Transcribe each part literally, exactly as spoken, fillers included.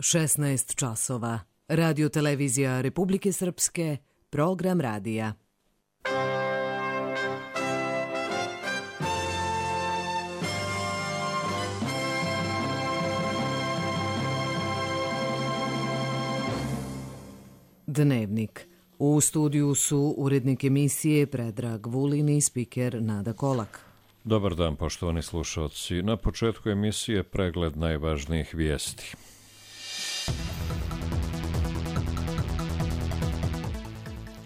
šesnaest časova. Radio televizija Republike Srpske, program radija. Dnevnik. U studiju su urednik emisije Predrag Vulin i spiker Nada Kolak. Dobar dan, poštovani slušalci. Na početku emisije pregled najvažnijih vijesti.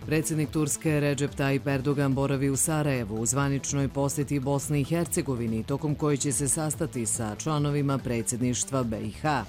Predsjednik Turske Recep Tayyip Erdogan boravi u Sarajevu u zvaničnoj posjeti Bosni i Hercegovini, tokom koje će se sastati sa članovima predsjedništva B i H.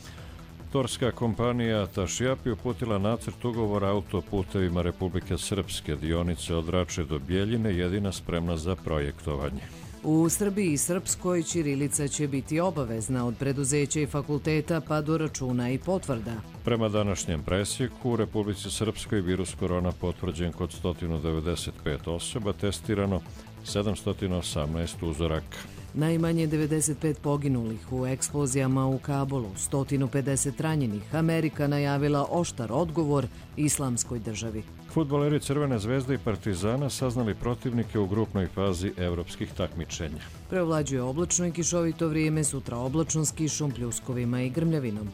Turska kompanija Tašjapi uputila nacrt ugovora autoputevima Republike Srpske, dionice od Rače do Bjeljine, jedina spremna za projektovanje. U Srbiji i Srpskoj ćirilica će biti obavezna od preduzeća i fakulteta pa do računa i potvrda. Prema današnjem presjeku, u Republici Srpskoj virus korona potvrđen kod sto devedeset pet osoba, testirano sedamsto osamnaest uzoraka. Najmanje devedeset pet poginulih u eksplozijama u Kabulu, sto pedeset ranjenih. Amerika najavila oštar odgovor Islamskoj državi. Fudbaleri Crvene zvezde i Partizana saznali protivnike u grupnoj fazi evropskih takmičenja. Preovlađuje oblačno i kišovito vrijeme, sutra oblačno s kišom, pljuskovima i grmljavinom.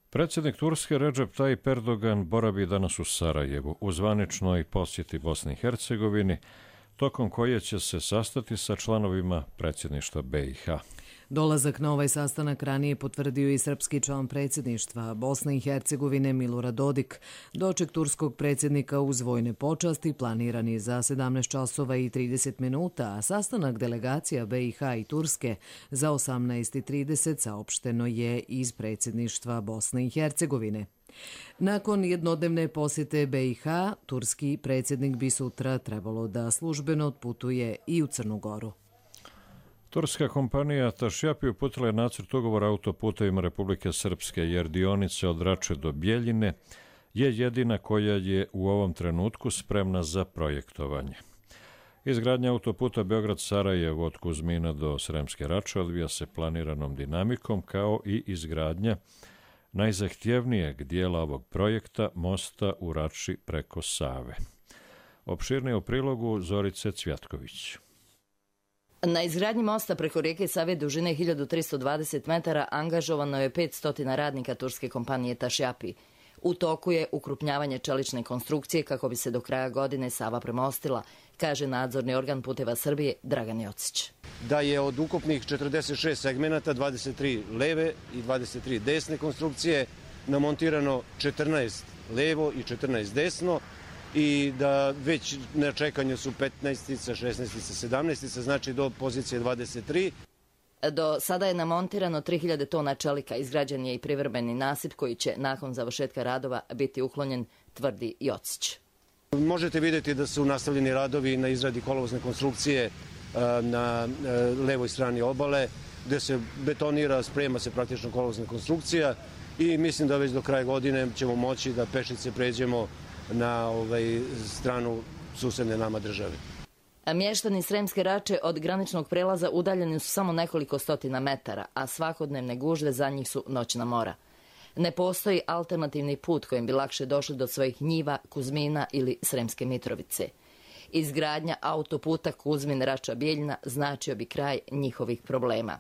Predsjednik Turske Recep Tayyip Erdogan boravi danas u Sarajevu u zvaničnoj posjeti Bosni i Hercegovini, tokom koje će se sastati sa članovima predsjedništva B i H. Dolazak na ovaj sastanak ranije potvrdio i srpski član predsjedništva Bosne i Hercegovine Milorad Dodik. Doček turskog predsjednika uz vojne počasti planiran je za sedamnaest časova i trideset minuta, a sastanak delegacija B i H i Turske za osamnaest i trideset saopšteno je iz predsjedništva Bosne i Hercegovine. Nakon jednodnevne posjete B i H, turski predsjednik bi sutra trebalo da službeno otputuje i u Crnu Goru. Turska kompanija Tašjapi uputila je nacrt ugovora autoputevima Republike Srpske, jer dionice od Rače do Bjeljine je jedina koja je u ovom trenutku spremna za projektovanje. Izgradnja autoputa Beograd-Sarajevo od Kuzmina do Sremske Rače odvija se planiranom dinamikom, kao i izgradnja najzahtjevnijeg dijela ovog projekta, mosta u Rači preko Save. Opširnije u prilogu Zorice Cvjatković. Na izgradnji mosta preko rijeke Save dužine hiljadu tristo dvadeset metara angažovano je petsto radnika turske kompanije Tašjapi. U toku je ukrupnjavanje čelične konstrukcije kako bi se do kraja godine Sava premostila, kaže nadzorni organ Puteva Srbije Dragan Jocić. Da je od ukupnih četrdeset šest segmenata, dvadeset tri leve i dvadeset tri desne konstrukcije, namontirano četrnaest levo i četrnaest desno, i da već na čekanju su petnaestica, šesnaestica, sedamnaestica, znači do pozicije dvadeset tri. Do sada je namontirano tri hiljade tona čelika, izgrađen je i privremeni nasip koji će nakon završetka radova biti uklonjen, tvrdi Jocić. Možete vidjeti da su nastavljeni radovi na izradi kolovozne konstrukcije na levoj strani obale, gde se betonira, sprema se praktično kolovozna konstrukcija i mislim da već do kraja godine ćemo moći da pešice pređemo na ovaj stranu susedne nama države. A mještani Sremske Rače od graničnog prelaza udaljeni su samo nekoliko stotina metara, a svakodnevne gužve za njih su noćna mora. Ne postoji alternativni put kojim bi lakše došli do svojih njiva, Kuzmina ili Sremske Mitrovice. Izgradnja autoputa Kuzmin-Rača-Bjeljina značio bi kraj njihovih problema,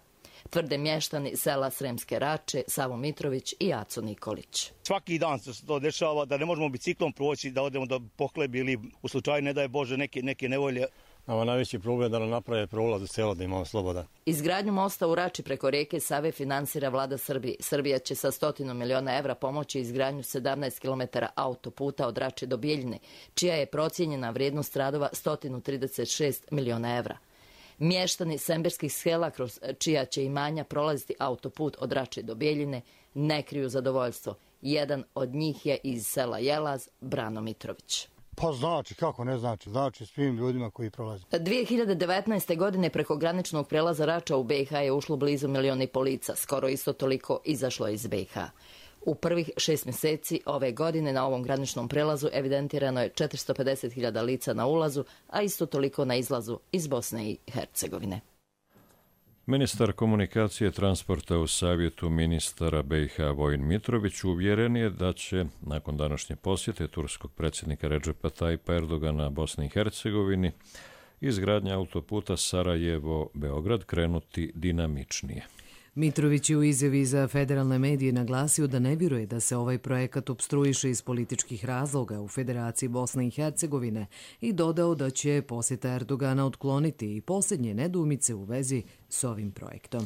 tvrde mještani sela Sremske Rače, Savo Mitrović i Aco Nikolić. Svaki dan se to dešava da ne možemo biciklom proći, da odemo do Pohlebi ili u slučaju, ne daj Bože, neke, neke nevolje. Nama najveći problem da nam naprave prolaz u selo, da imamo sloboda. Izgradnju mosta u Rači preko rijeke Save finansira vlada Srbije. Srbija će sa stotinu miliona evra pomoći izgradnju sedamnaest kilometara autoputa od Rače do Bjeljine, čija je procijenjena vrijednost radova sto trideset šest miliona evra. Mještani semberskih sela kroz čija će imanja prolaziti autoput od Rače do Bjeljine ne kriju zadovoljstvo. Jedan od njih je iz sela Jelaz, Brano Mitrović. Pa znači, kako ne znači, znači svim ljudima koji prolaze. dvije hiljade devetnaeste. godine preko graničnog prelaza Rača u B i H je ušlo blizu milion i pol lica, skoro isto toliko izašlo iz B i H. U prvih šest mjeseci ove godine na ovom graničnom prelazu evidentirano je četiristo pedeset hiljada lica na ulazu, a isto toliko na izlazu iz Bosne i Hercegovine. Ministar komunikacije i transporta u savjetu ministara B i H Vojin Mitrović uvjeren je da će, nakon današnje posjete turskog predsjednika Redžepa Tajipa Erdogana Bosni i Hercegovini, izgradnja autoputa Sarajevo-Beograd krenuti dinamičnije. Mitrović je u izjavi za federalne medije naglasio da ne vjeruje da se ovaj projekat opstruiše iz političkih razloga u Federaciji Bosne i Hercegovine i dodao da će posjeta Erdogana otkloniti i posljednje nedoumice u vezi s ovim projektom.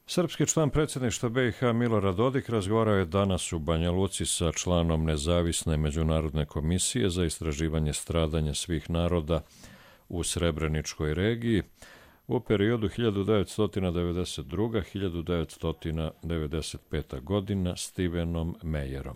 Srpski član predsjedništva B i H Milorad Dodik razgovarao je danas u Banja Luci sa članom Nezavisne međunarodne komisije za istraživanje stradanja svih naroda u Srebreničkoj regiji u periodu hiljadu devetsto devedeset druga do hiljadu devetsto devedeset peta godina Stevenom Meyerom.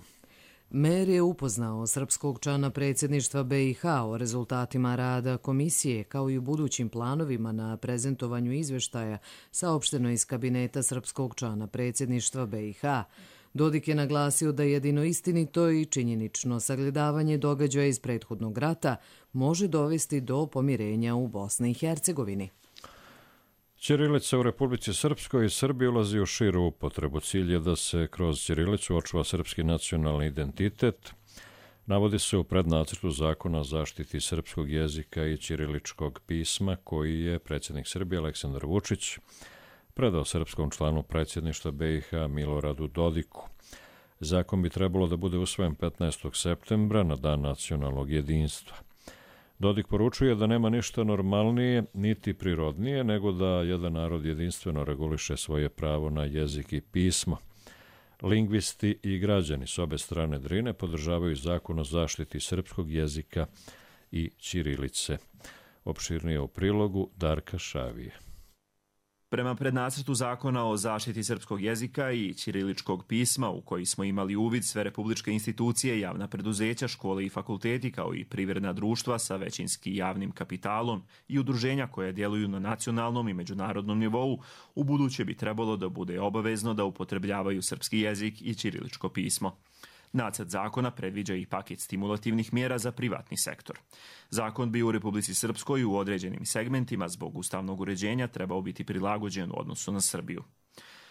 Meyer je upoznao srpskog člana predsjedništva B i H o rezultatima rada komisije kao i u budućim planovima na prezentovanju izveštaja saopšteno iz kabineta srpskog člana predsjedništva B i H. Dodik je naglasio da jedino istinito i činjenično sagledavanje događaja iz prethodnog rata može dovesti do pomirenja u Bosni i Hercegovini. Ćirilica u Republici Srpskoj i Srbiji ulazi u širu upotrebu. Cilj je da se kroz ćirilicu očuva srpski nacionalni identitet. Navodi se u prednacrtu zakona o zaštiti srpskog jezika i ćiriličkog pisma koji je predsjednik Srbije Aleksandar Vučić predao srpskom članu predsjedništva B i H Miloradu Dodiku. Zakon bi trebalo da bude usvojen petnaestog septembra na Dan nacionalnog jedinstva. Dodik poručuje da nema ništa normalnije niti prirodnije nego da jedan narod jedinstveno reguliše svoje pravo na jezik i pismo. Lingvisti i građani s obe strane Drine podržavaju zakon o zaštiti srpskog jezika i ćirilice. Opširnije u prilogu Darka Šavije. Prema prednacrtu zakona o zaštiti srpskog jezika i ćiriličkog pisma, u koji smo imali uvid sve republičke institucije, javna preduzeća, škole i fakulteti, kao i privredna društva sa većinski javnim kapitalom i udruženja koje djeluju na nacionalnom i međunarodnom nivou, u buduće bi trebalo da bude obavezno da upotrebljavaju srpski jezik i ćiriličko pismo. Nacrt zakona predviđa i paket stimulativnih mjera za privatni sektor. Zakon bi u Republici Srpskoj u određenim segmentima zbog ustavnog uređenja trebao biti prilagođen u odnosu na Srbiju.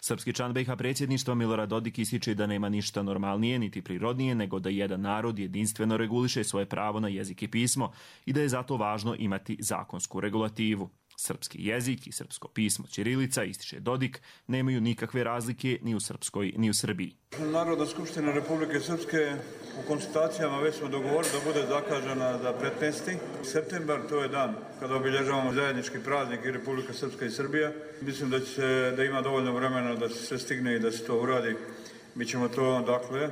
Srpski član B i H predsjedništva Milorad Dodik ističe da nema ništa normalnije niti prirodnije nego da jedan narod jedinstveno reguliše svoje pravo na jezik i pismo i da je zato važno imati zakonsku regulativu. Srpski jezik i srpsko pismo ćirilica, ističe Dodik, nemaju nikakve razlike ni u Srpskoj ni u Srbiji. Narodna skupština Republike Srpske u konsultacijama već smo dogovorili da bude zakažena za petnaesti septembar, to je dan kada obilježavamo zajednički praznik i Republika Srpska i Srbija. Mislim da će da ima dovoljno vremena da se sve stigne i da se to uradi. Mi ćemo to dakle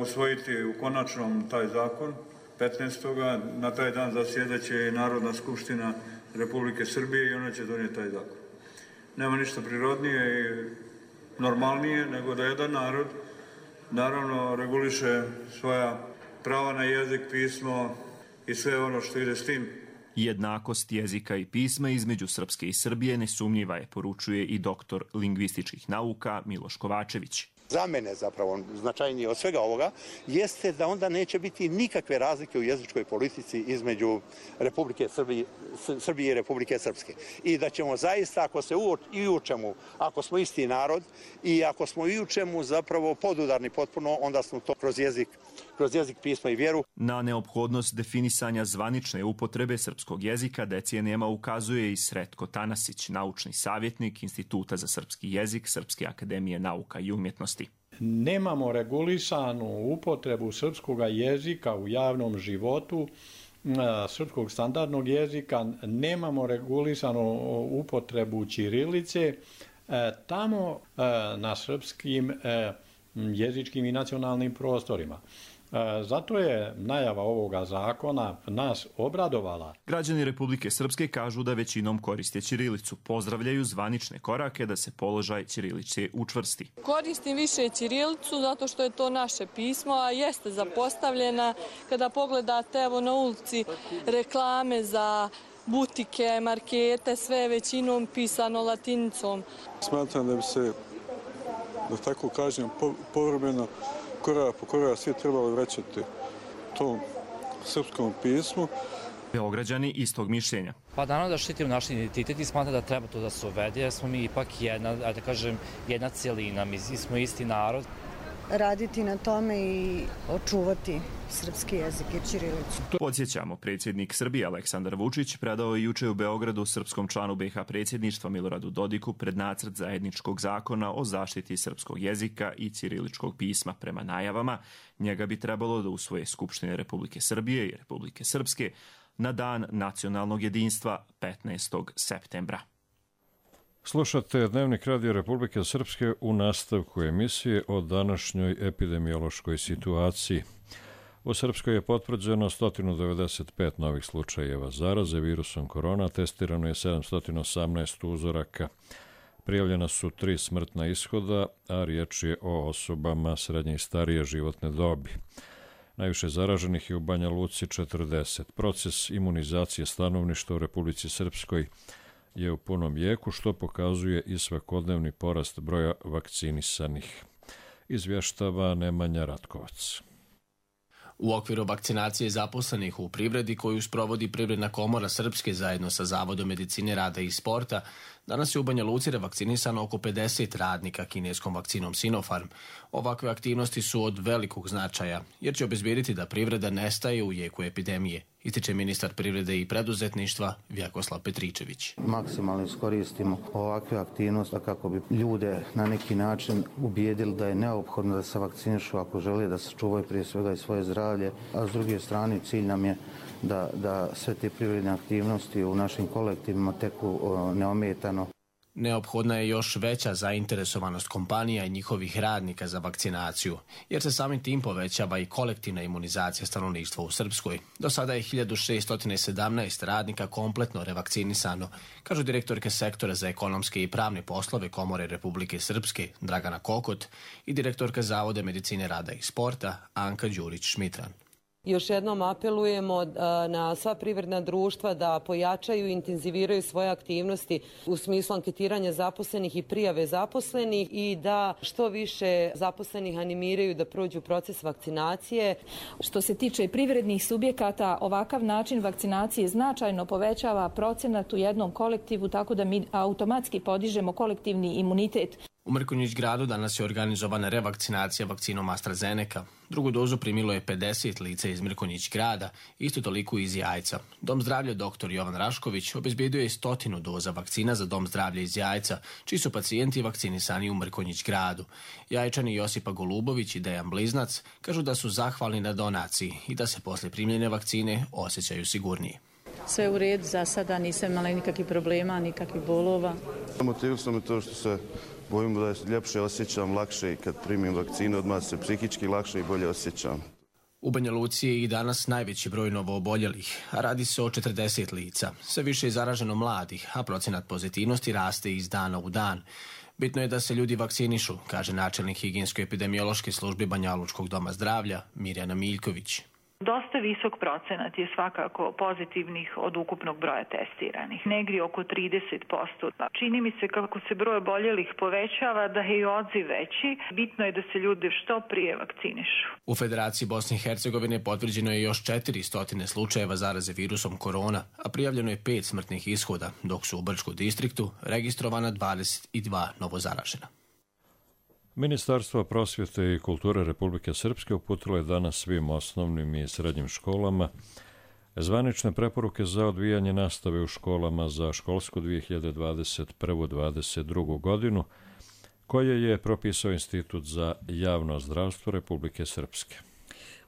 usvojiti u konačnom taj zakon petnaestog Na taj dan zasjedaće Narodna skupština Republike Srbije i ona će donijeti taj zakon. Nema ništa prirodnije i normalnije nego da jedan narod naravno reguliše svoja prava na jezik, pismo i sve ono što ide s tim. Jednakost jezika i pisma između Srpske i Srbije nesumnjiva je, poručuje i doktor lingvističkih nauka Miloš Kovačević. Za mene zapravo značajnije od svega ovoga jeste da onda neće biti nikakve razlike u jezičkoj politici između Republike Srbije, Srbije i Republike Srpske. I da ćemo zaista, ako se i u čemu, ako smo isti narod i ako smo i u čemu zapravo podudarni potpuno, onda smo to kroz jezik, kroz jezik, pismo i vjeru. Na neophodnost definisanja zvanične upotrebe srpskog jezika decenijama ukazuje i Sretko Tanasić, naučni savjetnik Instituta za srpski jezik Srpske akademije nauka i umjetnosti. Nemamo regulisanu upotrebu srpskog jezika u javnom životu, srpskog standardnog jezika, nemamo regulisanu upotrebu ćirilice. Tamo na srpskim jezičkim i nacionalnim prostorima. Zato je najava ovoga zakona nas obradovala. Građani Republike Srpske kažu da većinom koriste ćirilicu. Pozdravljaju zvanične korake da se položaj ćirilice učvrsti. Koristim više ćirilicu zato što je to naše pismo, a jeste zapostavljena. Kada pogledate evo na ulici reklame za butike, markete, sve većinom pisano latinicom. Smatram da bi se, da tako kažem, povremeno korak po korak svi trebali vraćati tom srpskom pismu Beograđani istog mišljenja. Pa naravno da štitimo naš identitet i smatra da treba to da se uvede, jer smo mi ipak jedna, da kažem, jedna cijelina, mi smo isti narod. Raditi na tome i očuvati srpski jezik i ćirilicu. Podsjećamo, predsjednik Srbije Aleksandar Vučić predao je juče u Beogradu srpskom članu be ha predsjedništva Miloradu Dodiku prednacrt zajedničkog zakona o zaštiti srpskog jezika i ćiriličkog pisma. Prema najavama, njega bi trebalo da usvoje Skupštine Republike Srbije i Republike Srpske na dan nacionalnog jedinstva petnaestog septembra. Slušate Dnevnik Radio Republike Srpske u nastavku emisije o današnjoj epidemiološkoj situaciji. U Srpskoj je potvrđeno sto devedeset pet novih slučajeva zaraze virusom korona, testirano je sedamsto osamnaest uzoraka. Prijavljena su tri smrtna ishoda, a riječ je o osobama srednje i starije životne dobi. Najviše zaraženih je u Banja Luci četrdeset. Proces imunizacije stanovništva u Republici Srpskoj je u punom jeku, što pokazuje i svakodnevni porast broja vakcinisanih. Izvještava Nemanja Ratkovac. U okviru vakcinacije zaposlenih u privredi koju sprovodi Privredna komora Srpske zajedno sa Zavodom medicine rada i sporta, danas je u Banja Luci revakcinisano oko pedeset radnika kineskom vakcinom Sinopharm. Ovakve aktivnosti su od velikog značaja, jer će obezbijediti da privreda nestaje u jeku epidemije, ističe ministar privrede i preduzetništva Vjakoslav Petričević. Maksimalno iskoristimo ovakve aktivnosti kako bi ljude na neki način ubijedili da je neophodno da se vakcinišu ako žele da se čuvaju prije svega i svoje zdravlje, a s druge strane cilj nam je da, da sve te privredne aktivnosti u našim kolektivima teku neometano. Neophodna je još veća zainteresovanost kompanija i njihovih radnika za vakcinaciju, jer se samim tim povećava i kolektivna imunizacija stanovništva u Srpskoj. Do sada je hiljadu šesto sedamnaest radnika kompletno revakcinisano, kažu direktorke sektora za ekonomske i pravne poslove Komore Republike Srpske Dragana Kokot i direktorka Zavoda medicine rada i sporta Anka Đurić-Šmitran. Još jednom apelujemo na sva privredna društva da pojačaju i intenziviraju svoje aktivnosti u smislu anketiranja zaposlenih i prijave zaposlenih i da što više zaposlenih animiraju da prođu proces vakcinacije. Što se tiče privrednih subjekata, ovakav način vakcinacije značajno povećava procenat u jednom kolektivu, tako da mi automatski podižemo kolektivni imunitet. U Mrkonjić gradu danas je organizovana revakcinacija vakcinom AstraZeneca. Drugu dozu primilo je pedeset lica iz Mrkonjić grada, isto toliko iz Jajca. Dom zdravlja doktor Jovan Rašković obezbijedio je stotinu doza vakcina za Dom zdravlja iz Jajca, čiji su pacijenti vakcinisani u Mrkonjić gradu. Jajčani Josipa Golubović i Dejan Bliznac kažu da su zahvalni na donaciji i da se posle primljene vakcine osjećaju sigurnije. Sve u redu, za sada nisam imala nikakvih problema, nikakvih bolova. Motivisalo me to što se bojim da je ljepše osjećam, lakše i kad primim vakcinu odmah se psihički lakše i bolje osjećam. U Banja Luci je i danas najveći broj novooboljelih, a radi se o četrdeset lica. Sve više je zaraženo mladih, a procenat pozitivnosti raste iz dana u dan. Bitno je da se ljudi vakcinišu, kaže načelnik higijensko-epidemiološke službe Banjalučkog doma zdravlja Mirjana Miljković. Dosta visok procenat je svakako pozitivnih od ukupnog broja testiranih, negdje oko trideset posto. Čini mi se kako se broj oboljelih povećava da je i odziv veći. Bitno je da se ljudi što prije vakcinišu. U Federaciji Bosne i Hercegovine potvrđeno je još četiristo slučajeva zaraze virusom korona, a prijavljeno je pet smrtnih ishoda, dok su u Brčkom distriktu registrovana dvadeset dva novozaražena. Ministarstvo prosvjete i kulture Republike Srpske uputilo je danas svim osnovnim i srednjim školama zvanične preporuke za odvijanje nastave u školama za školsku dvije hiljade dvadeset prvu dvadeset drugu godinu, koje je propisao Institut za javno zdravstvo Republike Srpske.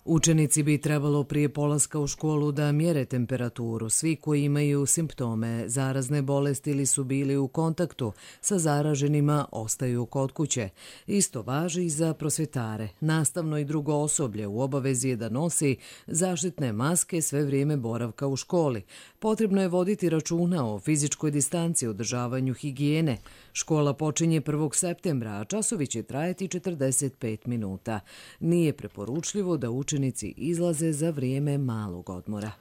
Učenici bi trebalo prije polaska u školu da mjere temperaturu. Svi koji imaju simptome zarazne bolesti ili su bili u kontaktu sa zaraženima ostaju kod kuće. Isto važi i za prosvjetare. Nastavno i drugo osoblje u obavezi je da nosi zaštitne maske sve vrijeme boravka u školi. Potrebno je voditi računa o fizičkoj distanci i održavanju higijene. Škola počinje prvog septembra, a časovi će trajati četrdeset pet minuta. Nije preporučljivo da učenici izlaze za vrijeme malog odmora.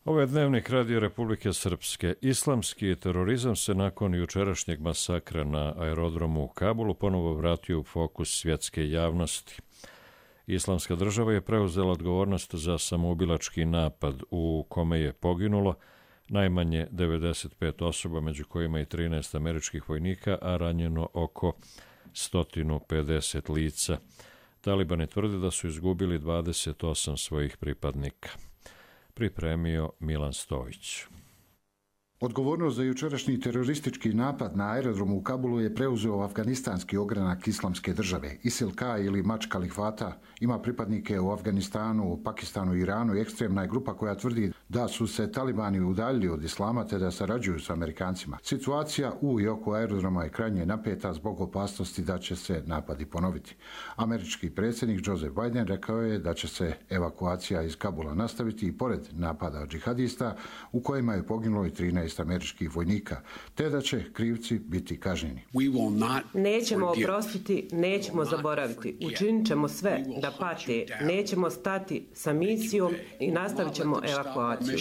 Ovo je Dnevnik Radio Republike Srpske. Islamski terorizam se nakon jučerašnjeg masakra na aerodromu u Kabulu ponovo vratio u fokus svjetske javnosti. Islamska država je preuzela odgovornost za samoubilački napad u kome je poginulo najmanje devedeset pet osoba, među kojima i trinaest američkih vojnika, a ranjeno oko sto pedeset lica. Talibani tvrde da su izgubili dvadeset osam svojih pripadnika. Pripremio Milan Stojić. Odgovornost za jučerašnji teroristički napad na aerodromu u Kabulu je preuzeo afganistanski ogranak Islamske države. Isil-K ili Mač Kalifata ima pripadnike u Afganistanu, Pakistanu i Iranu i ekstremna je grupa koja tvrdi da su se talibani udaljili od islama te da sarađuju s Amerikancima. Situacija u i oko aerodroma je krajnje napeta zbog opasnosti da će se napadi ponoviti. Američki predsjednik Joseph Biden rekao je da će se evakuacija iz Kabula nastaviti i pored napada džihadista u kojima je poginulo i trinaest američkih vojnika, te da će krivci biti kažnjeni. Nećemo oprostiti, nećemo zaboraviti. Učinit ćemo sve da pate, nećemo stati sa misijom i nastavit ćemo evakuaciju.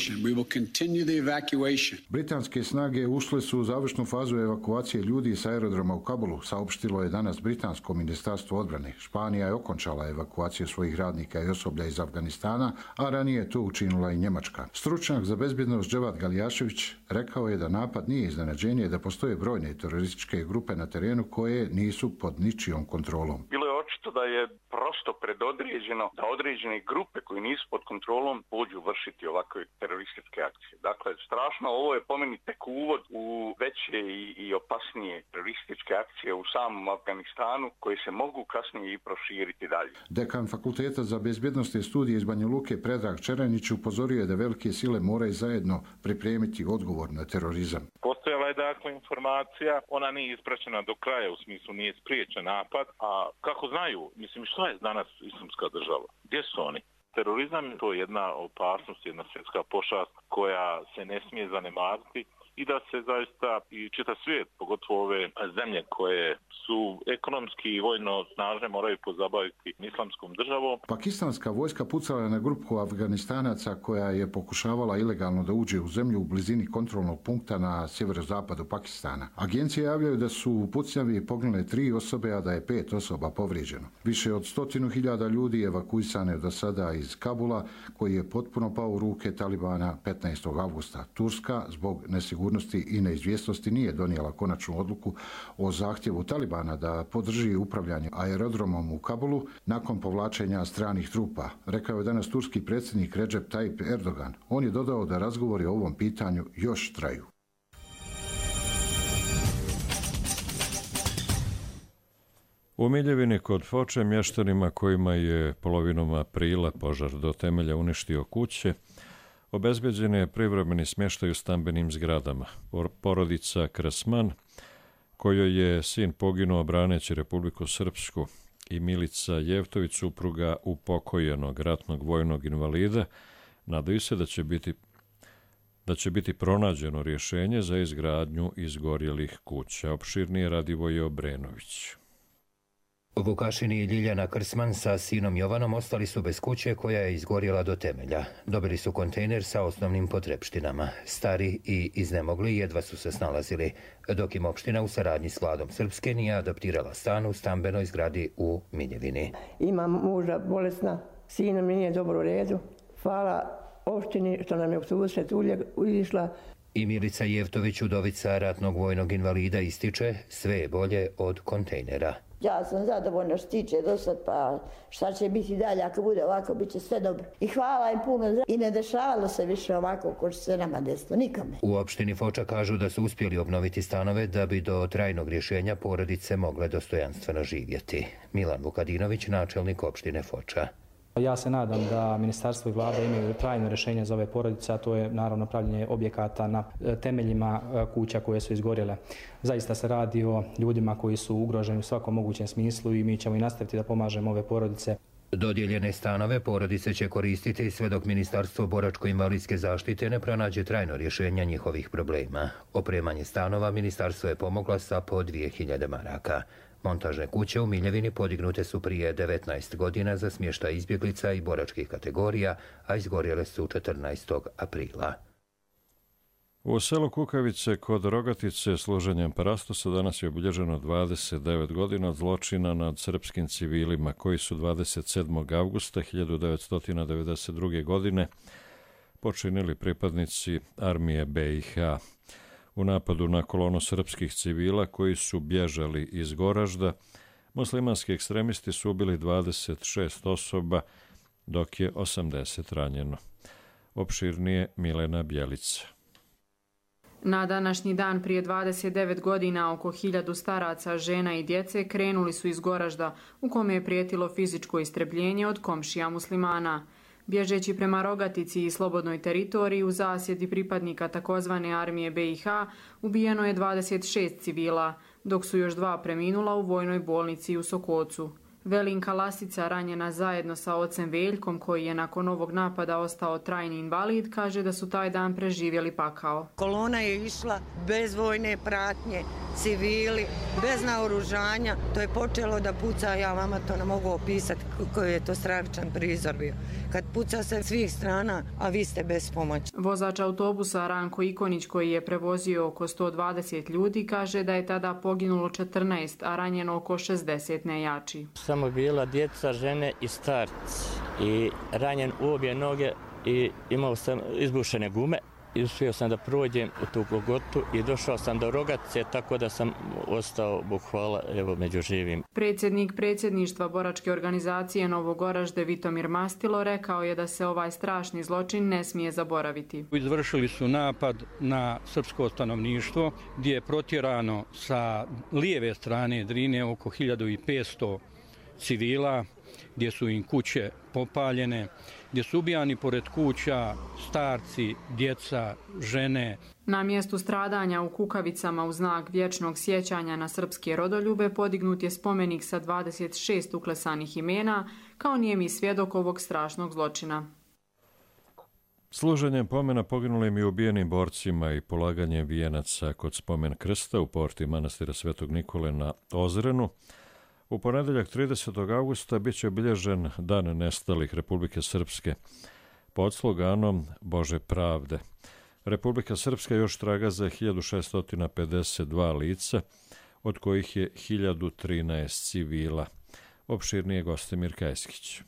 Britanske snage ušle su u završnu fazu evakuacije ljudi sa aerodroma u Kabulu, saopštilo je danas Britansko ministarstvo odbrane. Španija je okončala evakuaciju svojih radnika i osoblja iz Afganistana, a ranije je to učinila i Njemačka. Stručnjak za bezbjednost Dževad Galijašević rekao je da napad nije iznenađenje, da postoje brojne terorističke grupe na terenu koje nisu pod ničijom kontrolom. Bilo je očito da je prosto predodređeno da određene grupe koje nisu pod kontrolom pođu vršiti ovakve terorističke akcije. Dakle, strašno, ovo je po meni tek uvod u veće i, i opasnije terorističke akcije u samom Afganistanu koje se mogu kasnije i proširiti dalje. Dekan Fakulteta za bezbjednostne studije iz Banja Luke Predrag Čeranić upozorio je da velike sile moraju zajedno pripremiti odgovor na terorizam. Postojala je dakle informacija, ona nije ispraćena do kraja, u smislu nije spriječen napad, a kako znaju, mislim, što je danas Islamska država? Gdje su oni? Terorizam to je jedna opasnost, jedna svjetska pošast koja se ne smije zanemariti i da se zaista i čitav svijet, pogotovo ove zemlje koje su ekonomski i vojno snažne, moraju pozabaviti islamskom državom. Pakistanska vojska pucala je na grupu Afganistanaca koja je pokušavala ilegalno da uđe u zemlju u blizini kontrolnog punkta na sjeverozapadu Pakistana. Agencije javljaju da su u pucnjavi poginule tri osobe, a da je pet osoba povrijeđeno. Više od stotinu hiljada ljudi evakuisane do sada iz Kabula, koji je potpuno pao u ruke Talibana petnaestog avgusta. Turska zbog nesigurnosti i neizvjesnosti nije donijela konačnu odluku o zahtjevu Talibana da podrži upravljanje aerodromom u Kabulu nakon povlačenja stranih trupa, rekao je danas turski predsjednik Recep Tayyip Erdogan. On je dodao da razgovori o ovom pitanju još traju. U Miljevini kod Foče mještanima kojima je polovinom aprila požar do temelja uništio kuće, obezbeđen je privremeni smještaj u stambenim zgradama. Porodica Kresman, kojoj je sin poginuo braneći Republiku Srpsku, i Milica Jevtović, supruga upokojenog ratnog vojnog invalida, nadaju se da će biti da će biti pronađeno rješenje za izgradnju izgorjelih kuća. Opširnije Radivoje Obrenović. Vukašin i Ljiljana Krsman sa sinom Jovanom ostali su bez kuće koja je izgorjela do temelja. Dobili su kontejner sa osnovnim potrepštinama. Stari i iznemogli jedva su se snalazili, dok im opština u saradnji s vladom Srpske nije adaptirala stan u stambenoj zgradi u Miljevini. Imam muža bolesna, sina mi nije dobro u redu. Hvala opštini što nam je u susret ulišla. I Milica Jevtović, udovica ratnog vojnog invalida, ističe sve je bolje od kontejnera. Ja sam zadovoljna što tiče do sad, pa šta će biti dalje, ako bude ovako, bit će sve dobro. I hvala im puno, i ne dešavalo se više ovako ko što se nama desilo, nikome. U opštini Foča kažu da su uspjeli obnoviti stanove da bi do trajnog rješenja porodice mogle dostojanstveno živjeti. Milan Vukadinović, načelnik opštine Foča. Ja se nadam da ministarstvo i vlada imaju trajno rješenje za ove porodice, a to je naravno pravljenje objekata na temeljima kuća koje su izgorjele. Zaista se radi o ljudima koji su ugroženi u svakom mogućem smislu i mi ćemo i nastaviti da pomažemo ove porodice. Dodijeljene stanove porodice će koristiti sve dok Ministarstvo boračko-invalidske zaštite ne pronađe trajno rješenja njihovih problema. Opremanje stanova ministarstvo je pomogla sa po dvije hiljade maraka. Montažne kuće u Miljevini podignute su prije devetnaest godina za smještaj izbjeglica i boračkih kategorija, a izgorjele su četrnaestog aprila. U selu Kukavice kod Rogatice služenjem parastosa danas je obilježeno dvadeset devet godina od zločina nad srpskim civilima koji su dvadeset sedmog avgusta hiljadu devetsto devedeset druge. godine počinili pripadnici armije be i ha. U napadu na kolonu srpskih civila koji su bježali iz Goražda, muslimanski ekstremisti su ubili dvadeset šest osoba, dok je osamdeset ranjeno. Opširnije Milena Bjelica. Na današnji dan prije dvadeset devet godina oko hiljadu staraca, žena i djece krenuli su iz Goražda u kome je prijetilo fizičko istrebljenje od komšija muslimana. Bježeći prema Rogatici i slobodnoj teritoriji u zasjedi pripadnika takozvane armije be i ha ubijeno je dvadeset šest civila, dok su još dva preminula u vojnoj bolnici u Sokocu. Velinka Lasica, ranjena zajedno sa ocem Veljkom, koji je nakon ovog napada ostao trajni invalid, kaže da su taj dan preživjeli pakao. Kolona je išla bez vojne pratnje, civili, bez naoružanja. To je počelo da puca, ja vama to ne mogu opisati koji je to stravičan prizor bio. Kad puca se svih strana, a vi ste bez pomoći. Vozač autobusa Ranko Ikonić, koji je prevozio oko sto dvadeset ljudi, kaže da je tada poginulo četrnaest, a ranjeno oko šezdeset nejači. Samo bila djeca, žene i starci i ranjen u obje noge i imao sam izbušene gume. I uspio sam da prođem u tu Golgotu i došao sam do Rogatice, tako da sam ostao, Bog hvala, evo među živim. Predsjednik predsjedništva boračke organizacije Novogoražde Vitomir Mastilo rekao je da se ovaj strašni zločin ne smije zaboraviti. Izvršili su napad na srpsko stanovništvo gdje je protjerano sa lijeve strane Drine oko hiljadu petsto civila, gdje su im kuće popaljene, gdje su ubijani pored kuća starci, djeca, žene. Na mjestu stradanja u Kukavicama u znak vječnog sjećanja na srpske rodoljube podignut je spomenik sa dvadeset šest uklesanih imena kao nijemi svjedok ovog strašnog zločina. Služenjem pomena poginulim i ubijenim borcima i polaganjem vijenaca kod spomen krsta u porti manastira Svetog Nikole na Ozrenu, u ponedeljak tridesetog avgusta bit će obilježen Dan nestalih Republike Srpske pod sloganom Bože pravde. Republika Srpska još traga za hiljadu šeststo pedeset dva lica, od kojih je hiljadu trinaest civila. Opširnije Gostimir Kajskić.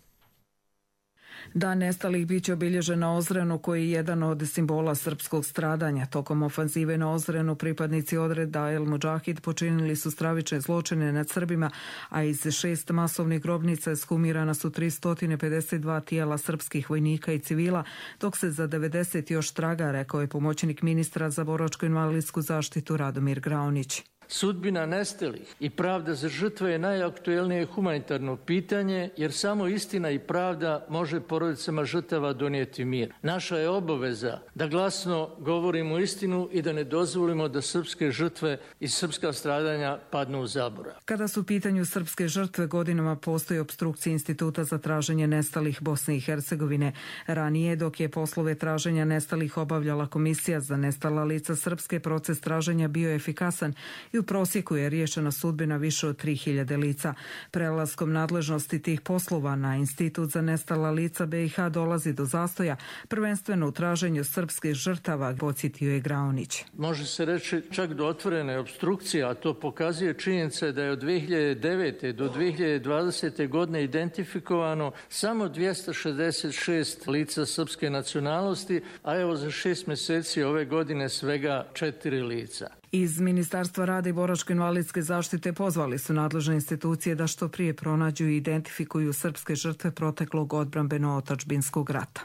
Dan nestalih biće obilježen na Ozrenu, koji je jedan od simbola srpskog stradanja. Tokom ofanzive na Ozrenu pripadnici odreda El Mudžahid počinili su stravične zločine nad Srbima, a iz šest masovnih grobnica ekshumirana su tristo pedeset dva tijela srpskih vojnika i civila, dok se za devedeset još traga, rekao je pomoćnik ministra za boračko-invalidsku zaštitu Radomir Graunić. Sudbina nestalih i pravda za žrtve je najaktuelnije humanitarno pitanje, jer samo istina i pravda može porodicama žrtava donijeti mir. Naša je obaveza da glasno govorimo istinu i da ne dozvolimo da srpske žrtve i srpska stradanja padnu u zaborav. Kada su u pitanju srpske žrtve, godinama postoji opstrukcija Instituta za traženje nestalih Bosne i Hercegovine. Ranije, dok je poslove traženja nestalih obavljala Komisija za nestala lica srpske, proces traženja bio je efikasan i u prosjeku je riješena sudbina više od tri hiljade lica. Prelaskom nadležnosti tih poslova na Institut za nestala lica be i ha dolazi do zastoja, prvenstveno u traženju srpskih žrtava, podsjetio je Graunić. Može se reći čak do otvorene opstrukcije, a to pokazuje činjenica da je od dve hiljade devete do dve hiljade dvadesete. godine identifikovano samo dvjesto šezdeset šest lica srpske nacionalnosti, a evo za šest mjeseci ove godine svega četiri lica. Iz Ministarstva rada i boračko-invalidske zaštite pozvali su nadležne institucije da što prije pronađu i identifikuju srpske žrtve proteklog odbrambeno-otadžbinskog rata.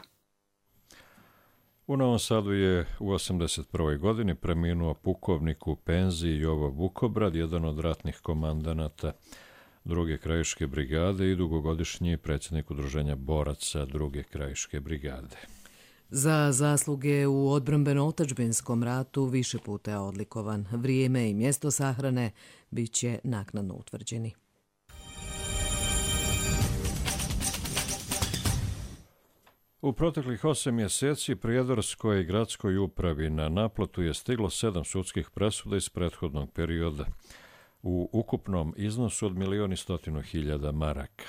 U Novom Sadu je u osamdeset prvoj. godini preminuo pukovnik u penziji Jovo Vukobrad, jedan od ratnih komandanata druge krajiške brigade i dugogodišnji predsjednik udruženja boraca druge krajiške brigade. Za zasluge u odbrambeno-otadžbinskom ratu više puta je odlikovan. Vrijeme i mjesto sahrane bit će naknadno utvrđeni. U proteklih osam mjeseci Prijedorskoj gradskoj upravi na naplatu je stiglo sedam sudskih presuda iz prethodnog perioda u ukupnom iznosu od milijon i stotinu hiljada maraka.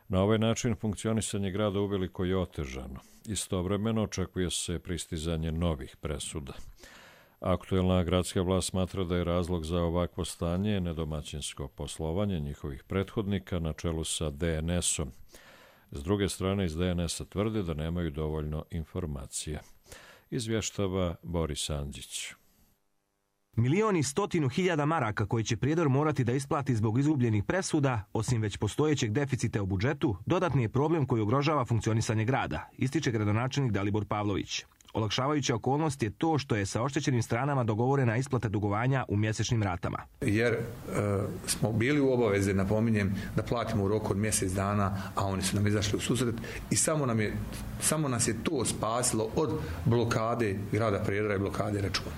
Na ovaj način funkcionisanje grada uveliko je otežano. Istovremeno očekuje se pristizanje novih presuda. Aktuelna gradska vlast smatra da je razlog za ovakvo stanje nedomaćinsko poslovanje njihovih prethodnika na čelu sa D N S-om. S druge strane, iz D N S-a tvrde da nemaju dovoljno informacija. Izvještava Boris Andžić. Milion i stotinu hiljada maraka koje će Prijedor morati da isplati zbog izgubljenih presuda, osim već postojećeg deficita u budžetu, dodatni je problem koji ugrožava funkcionisanje grada, ističe gradonačelnik Dalibor Pavlović. Olakšavajuća okolnost je to što je sa oštećenim stranama dogovorena isplata dugovanja u mjesečnim ratama. Jer e, smo bili u obavezi, napominjem, da platimo u roku od mjesec dana, a oni su nam izašli u susret i samo, nam je, samo nas je to spasilo od blokade grada Prijedora i blokade računa.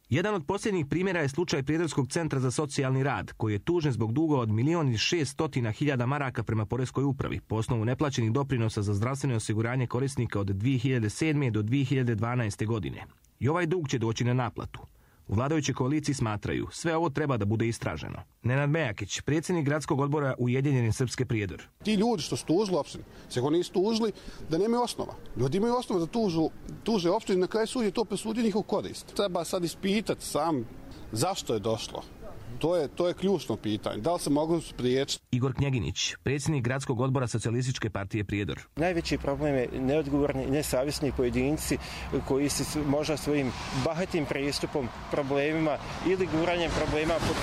Jedan od posljednjih primjera je slučaj Prijedorskog centra za socijalni rad, koji je tužen zbog duga od milion i šest stotina hiljada maraka prema Poreskoj upravi, po osnovu neplaćenih doprinosa za zdravstveno osiguranje korisnika od dvije hiljade sedme. do dvije hiljade dvanaeste. godine. I ovaj dug će doći na naplatu. U vladajućoj koaliciji smatraju, sve ovo treba da bude istraženo. Nenad Mejakić, predsjednik gradskog odbora Ujedinjene Srpske Prijedor. Ti ljudi što su tužili opštine, se ako nisu tužili, da nemaju osnova. Ljudi imaju osnova da tužu, tuže opštine, na kraju sud je to presudio njihov korist. Treba sad ispitati sam zašto je došlo. To je, to je ključno pitanje. Da li se mogu spriječiti? Igor Knjeginić, predsjednik gradskog odbora Socijalističke partije Prijedor. Najveći problem je neodgovorni i nesavjesni pojedinci koji se možda svojim bahatim pristupom, problemima ili guranjem problema pod,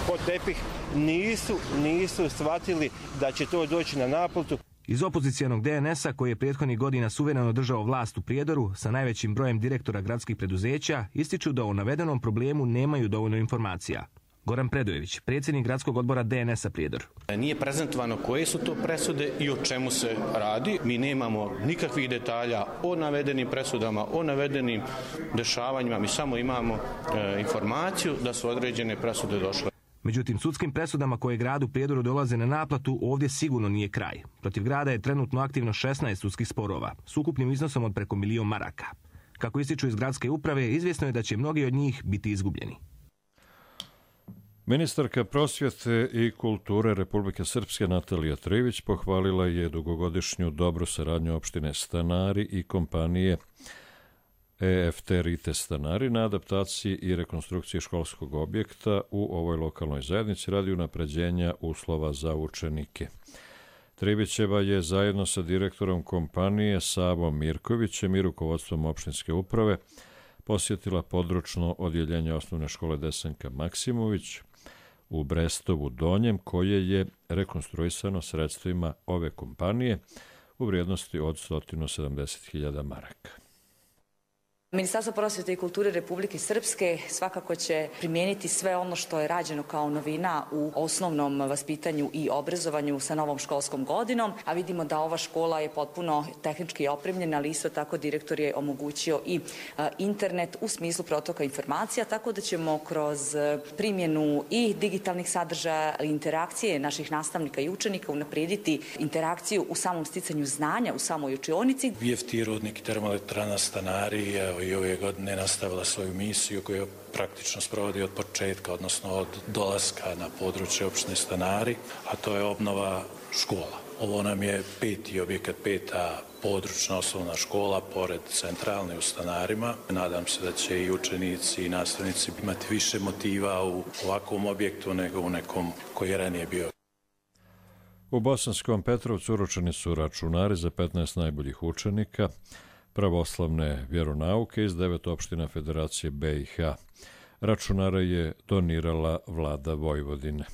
pod tepih nisu, nisu shvatili da će to doći na naplatu. Iz opozicijanog D N S-a, koji je prethodnih godina suvereno držao vlast u Prijedoru sa najvećim brojem direktora gradskih preduzeća, ističu da o navedenom problemu nemaju dovoljno informacija. Goran Predojević, predsjednik gradskog odbora D N S-a Prijedor. Nije prezentovano koje su to presude i o čemu se radi. Mi nemamo nikakvih detalja o navedenim presudama, o navedenim dešavanjima. Mi samo imamo e, informaciju da su određene presude došle. Međutim, sudskim presudama koje gradu Prijedoru dolaze na naplatu ovdje sigurno nije kraj. Protiv grada je trenutno aktivno šesnaest sudskih sporova, s ukupnim iznosom od preko milion maraka. Kako ističu iz gradske uprave, izvjesno je da će mnogi od njih biti izgubljeni. Ministarka prosvjete i kulture Republike Srpske Natalija Trivić pohvalila je dugogodišnju dobru saradnju opštine Stanari i kompanije E F T Rite Stanari na adaptaciji i rekonstrukciji školskog objekta u ovoj lokalnoj zajednici radi unapređenja uslova za učenike. Trivićeva je zajedno sa direktorom kompanije Savom Mirkovićem i rukovodstvom opštinske uprave posjetila područno odjeljenje osnovne škole Desanka Maksimović u Brestovu Donjem, koje je rekonstruisano sredstvima ove kompanije u vrijednosti od sto sedamdeset hiljada maraka. Ministarstvo prosvjete i kulture Republike Srpske svakako će primijeniti sve ono što je rađeno kao novina u osnovnom vaspitanju i obrazovanju sa novom školskom godinom, a vidimo da ova škola je potpuno tehnički opremljena, ali isto tako direktor je omogućio i internet u smislu protoka informacija, tako da ćemo kroz primjenu i digitalnih sadržaja, interakcije naših nastavnika i učenika unaprijediti interakciju u samom sticanju znanja, u samoj učionici. V F T Rudnik i termoelektrana Stanari i ove godine nastavila svoju misiju koju praktično sprovodi od početka, odnosno od dolaska na područje opštine Stanari, a to je obnova škola. Ovo nam je peti objekat, peta područna osnovna škola pored centralne u Stanarima. Nadam se da će i učenici i nastavnici imati više motiva u ovakvom objektu nego u nekom koji je ranije bio. U Bosanskom Petrovcu uručeni su računari za petnaest najboljih učenika pravoslavne vjeronauke iz devet opština Federacije B i H. Računare je donirala vlada Vojvodine.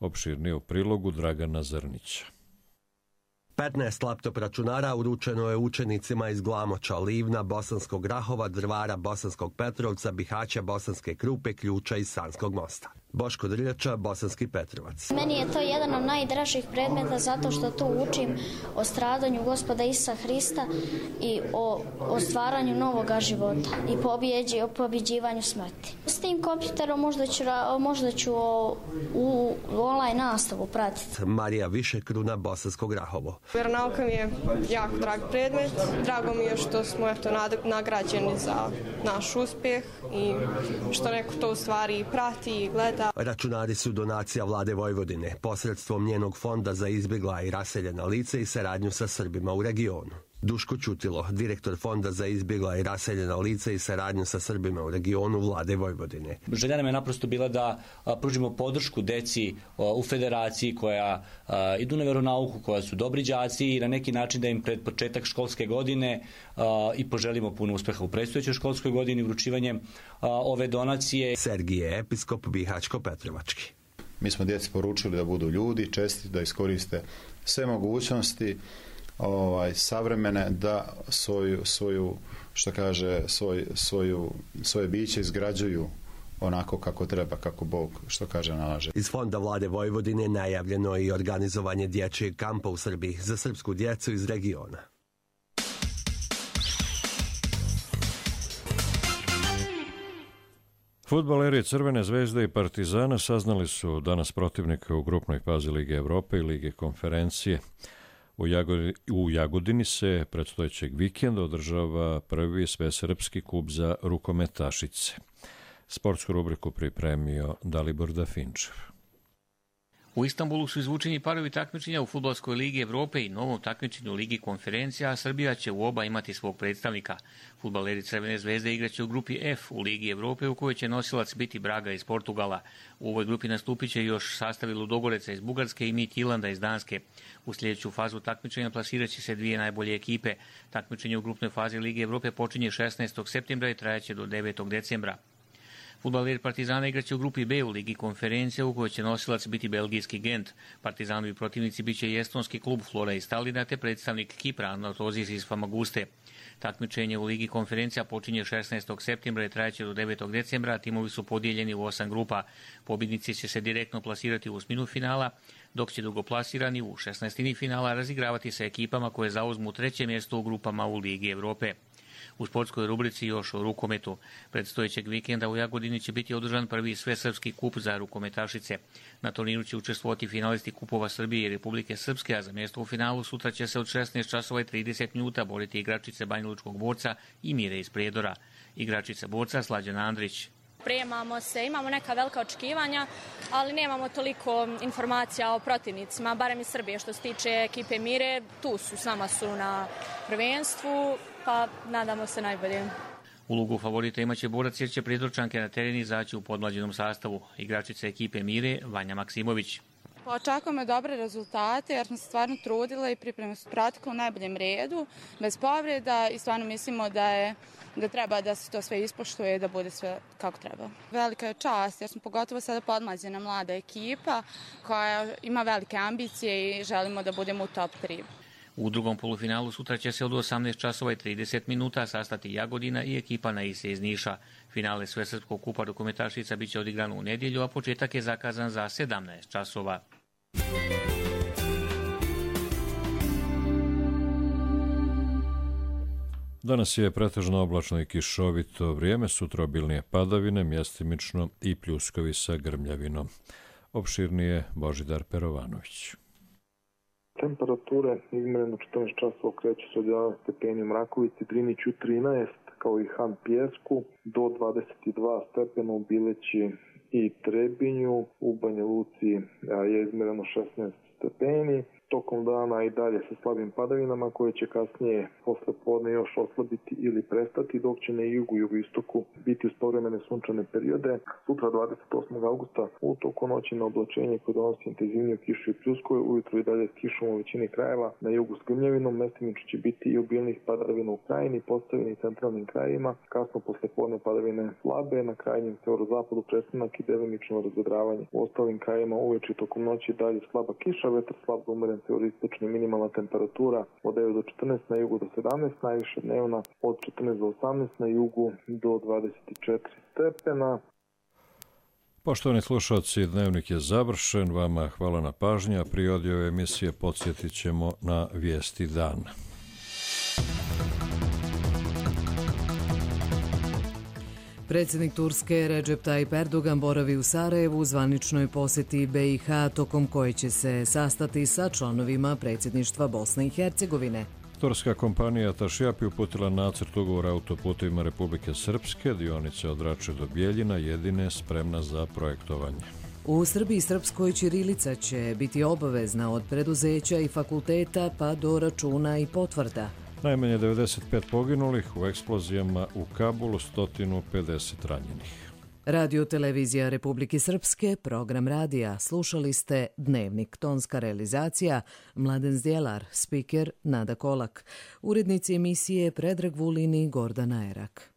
Opširnije u prilogu Dragana Zrnića. petnaest laptop računara uručeno je učenicima iz Glamoča, Livna, Bosanskog Grahova, Drvara, Bosanskog Petrovca, Bihaća, Bosanske Krupe, Ključa i Sanskog Mosta. Boško Drljača, Bosanski Petrovac. Meni je to jedan od najdražih predmeta zato što tu učim o stradanju Gospoda Isusa Hrista i o, o stvaranju novoga života i pobjeđi, o pobjeđivanju smrti. S tim kompjuterom možda ću, možda ću o, u online nastavu pratiti. Marija Višekruna, Bosansko Grahovo. Vjeronauka mi je jako drag predmet. Drago mi je što smo eto, nagrađeni za naš uspjeh i što neko to u stvari prati i gleda. Računari su donacija vlade Vojvodine, posredstvom njenog fonda za izbjegla i raseljena lica i saradnju sa Srbima u regionu. Duško Ćutilo, direktor Fonda za izbjegla i raseljena lica i saradnju sa Srbima u regionu Vlade Vojvodine. Želja nam je naprosto bila da pružimo podršku deci u federaciji koja idu na veronauku, koja su dobri đaci i na neki način da im pred početak školske godine i poželimo puno uspeha u predstojećoj školskoj godini vručivanjem ove donacije. Sergije Episkop, Bihaćko-Petrovački. Mi smo djeci poručili da budu ljudi, česti, da iskoriste sve mogućnosti ovaj, savremene, da svoju, svoju što kaže, svoj, svoju, svoje biće izgrađuju onako kako treba, kako Bog, što kaže, nalaže. Iz Fonda Vlade Vojvodine najavljeno je i organizovanje dječjeg kampa u Srbiji za srpsku djecu iz regiona. Fudbaleri Crvene zvezde i Partizana saznali su danas protivnika u grupnoj fazi Lige Evrope i Lige konferencije. U, Jagodi, u Jagodini se predstojećeg vikenda održava prvi svesrpski kup za rukometašice. Sportsku rubriku pripremio Dalibor Dafinčev. U Istanbulu su izvučeni parovi takmičenja u Fudbalskoj ligi Evrope i novom takmičenju u Ligi konferencija, a Srbija će u oba imati svog predstavnika. Fudbaleri Crvene zvezde igraće u grupi F u Ligi Evrope, u kojoj će nosilac biti Braga iz Portugala. U ovoj grupi nastupit će još sastavi Ludogoreca iz Bugarske i Midtjylanda iz Danske. U sljedeću fazu takmičenja plasirat će se dvije najbolje ekipe. Takmičenje u grupnoj fazi Lige Evrope počinje šesnaestog septembra i trajaće do devetog decembra. Fudbaleri Partizana igraće u grupi B u Ligi konferencija, u kojoj će nosilac biti belgijski Gent. Partizanovi protivnici biće i estonski klub Flora iz Talina te predstavnik Kipra Anorthosis iz Famaguste. Takmičenje u Ligi konferencija počinje šesnaestog septembra i trajaće do devetog decembra, a timovi su podijeljeni u osam grupa. Pobjednici će se direktno plasirati u osminu finala, dok će drugoplasirani u šesnaestini finala razigravati sa ekipama koje zauzmu treće mjesto u grupama u Ligi Evrope. U sportskoj rubrici još o rukometu. Predstojećeg vikenda u Jagodini će biti održan prvi svesrpski kup za rukometašice. Na turniru će učestvovati finalisti kupova Srbije i Republike Srpske, a za mjesto u finalu sutra će se od šesnaest časova i trideset minuta boriti igračice Banjalučkog borca i Mire iz Prijedora. Igračica borca Slađana Andrić. Pripremamo se, imamo neka velika očekivanja, ali nemamo toliko informacija o protivnicima, barem iz Srbije. Što se tiče ekipe Mire, tu su, s nama su na prvenstvu, pa nadamo se najbolje. Ulogu favorita imaće borac jer će Prijedorčanke na teren izaći u podmlađenom sastavu. Igračica ekipe Mire, Vanja Maksimović. Očekujemo dobre rezultate jer smo se stvarno trudile i pripreme su pratikle u najboljem redu, bez povreda i stvarno mislimo da je da treba da se to sve ispoštuje i da bude sve kako treba. Velika je čast jer smo pogotovo sada podmlađena mlada ekipa koja ima velike ambicije i želimo da budemo u top tri. U drugom polufinalu sutra će se od osamnaest časova i trideset minuta sastati Jagodina i ekipa Naise iz Niša. Finale Svesrpskog kupa rukometašica biće odigrano u nedjelju, a početak je zakazan za sedamnaest časova. Danas je pretežno oblačno i kišovito vrijeme, sutra obilnije padavine, mjestimično i pljuskovi sa grmljavinom. Opširnije Božidar Perovanović. Temperature izmjereno četrnaest časova kreću se od jedanaest stepeni u Mrakovici, Driniću trinaest, kao i Han Pjesku, do dvadeset dva stepena u Bileći i Trebinju, u Banja Luci je izmjereno šesnaest stepeni. Tokom dana i dalje sa slabim padavinama koje će kasnije posle podne još oslabiti ili prestati, dok će na jugu i jugoistoku biti uz povremene sunčane periode. Sutra dvadeset osmog augusta u toku noći na oblačenje koje donosi intenzivniju kišu i pljuskove, ujutro i dalje s kišom u većini krajeva, na jugu s grmljavinom, mestimično će biti i obilnih padavina u krajini, postavini i centralnim krajevima, kasno posle podne padavine slabe, na krajnjem severozapadu prestanak i delimično razvedravanje. U ostalim krajevima uveče i tokom noći dalje slaba kiša, vetar slab do umeren severoistočni, minimalna temperatura od devet do četrnaest, na jugu do sedamnaest, najviše dnevna od četrnaest do osamnaest, na jugu do dvadeset četiri stepena. Poštovani slušalci, dnevnik je završen. Vama hvala na pažnji, a pri odjevu emisije podsjetit ćemo na vijesti dana. Predsjednik Turske Recep Tayyip Erdogan boravi u Sarajevu u zvaničnoj posjeti B i H, tokom koje će se sastati sa članovima predsjedništva Bosne i Hercegovine. Turska kompanija Tašjapi uputila nacrt ugovora autoputevima Republike Srpske, dionice od Rače do Bjeljina, jedine spremna za projektovanje. U Srbiji srpskoj ćirilica će biti obavezna od preduzeća i fakulteta pa do računa i potvrda. Najmanje devedeset pet poginulih u eksplozijama u Kabulu, sto pedeset ranjenih. Radio Televizija Republike Srpske, program radija. Slušali ste Dnevnik, tonska realizacija Mladen Zdjelar, spiker Nada Kolak, urednici emisije Predrag Vulin i Gordana Erak.